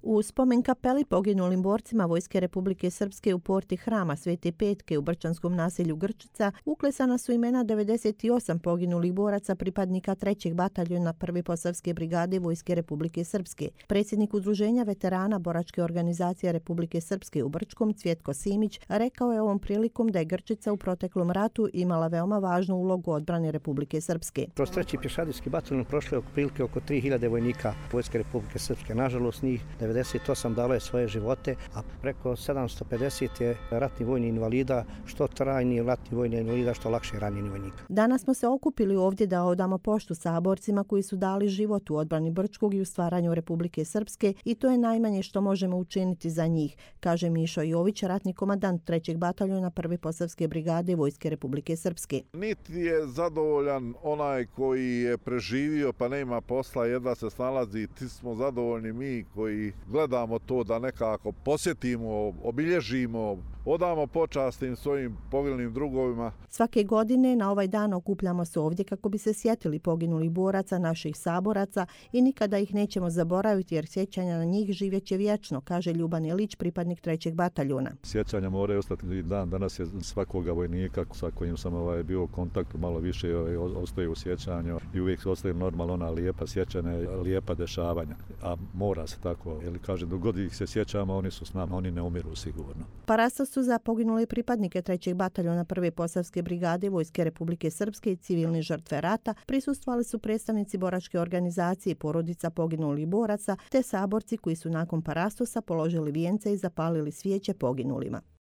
U spomen kapeli poginulim borcima Vojske Republike Srpske u porti Hrama Svete Petke u brčanskom naselju Grčica uklesana su imena 98 poginulih boraca pripadnika 3. bataljona 1. Posavske brigade Vojske Republike Srpske. Predsjednik Udruženja veterana Boračke organizacije Republike Srpske u Brčkom Cvjetko Simić rekao je ovom prilikom da je Grčica u proteklom ratu imala veoma važnu ulogu odbrane Republike Srpske. Kroz 3. pješadijski bataljon prošlo je otprilike oko 3000 vojnika Vojske Republike Srpske. Nažalost, njih 98 dalo je svoje živote, a preko 750 je ratni vojni invalida, što trajni ratni vojni invalida, što lakše ranjeni vojnika. Danas smo se okupili ovdje da odamo poštu saborcima koji su dali život u odbrani Brčkog i u stvaranju Republike Srpske i to je najmanje što možemo učiniti za njih, kaže Mišo Jović, ratni komandant 3. bataljona 1. Posavske brigade Vojske Republike Srpske. Niti je zadovoljan onaj koji je preživio pa nema posla, jedva se snalazi, ti smo zadovoljni mi koji gledamo to da nekako posjetimo, obilježimo, odamo počast tim svojim poginulnim drugovima. Svake godine na ovaj dan okupljamo se ovdje kako bi se sjetili poginulih boraca, naših saboraca i nikada ih nećemo zaboraviti jer sjećanja na njih živjeće vječno, kaže Ljuban Ilić, pripadnik 3. bataljona. Sjećanja moraju ostati i dan danas je svakoga vojnika sa kojim sam bio u kontaktu malo više ostaje u sjećanju i uvijek ostaje normalno ona lijepa sjećanja, lijepa dešavanja, a mora se tako, jer kaže dok god ih se sjećamo oni su s nama, oni ne umiru sigurno. Parastosu za poginule pripadnike 3. bataljona 1. Posavske brigade Vojske Republike Srpske i civilne žrtve rata prisustvovali su predstavnici boračke organizacije i porodica poginulih boraca te saborci koji su nakon parastosa položili vijence i zapalili svijeće poginulima.